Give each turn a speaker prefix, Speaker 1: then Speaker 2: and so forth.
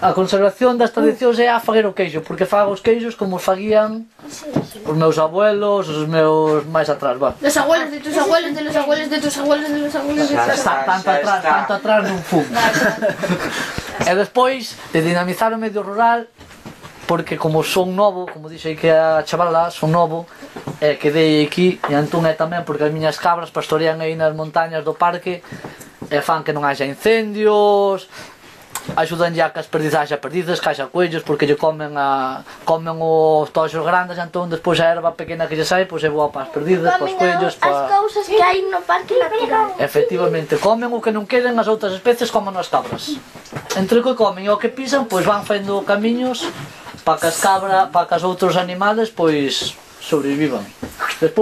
Speaker 1: A conservación das tradicións é a faguer o queixo, porque fago os queixos como os faguían os meus abuelos, os meus máis atrás, va.
Speaker 2: Los abuelos de tus abuelos, de los abuelos de tus abuelos, de los abuelos de tus abuelos.
Speaker 1: Tanto atrás non fumo. E despois de dinamizar o medio rural, porque como son novo, como dixei que a chavala, son novo, quedei aquí, e entón é tamén porque as miñas cabras pastorean aí nas montañas do parque, e fan que non haxa incendios, axudanlle a que as perdizas haxa perdices, que haxa coellos, porque lle comen os toxos grandes, entón despois a erva pequena que lle sai, pois é boa para as perdizas, para os coellos,
Speaker 2: para... As cousas que hai no parque natural.
Speaker 1: Efectivamente, comen o que non queden, as outras especies comen as cabras. Entre o que comen e o que pisan, pois van facendo camiños para que as cabras, para que os outros animales, pois sobrevivan. Despois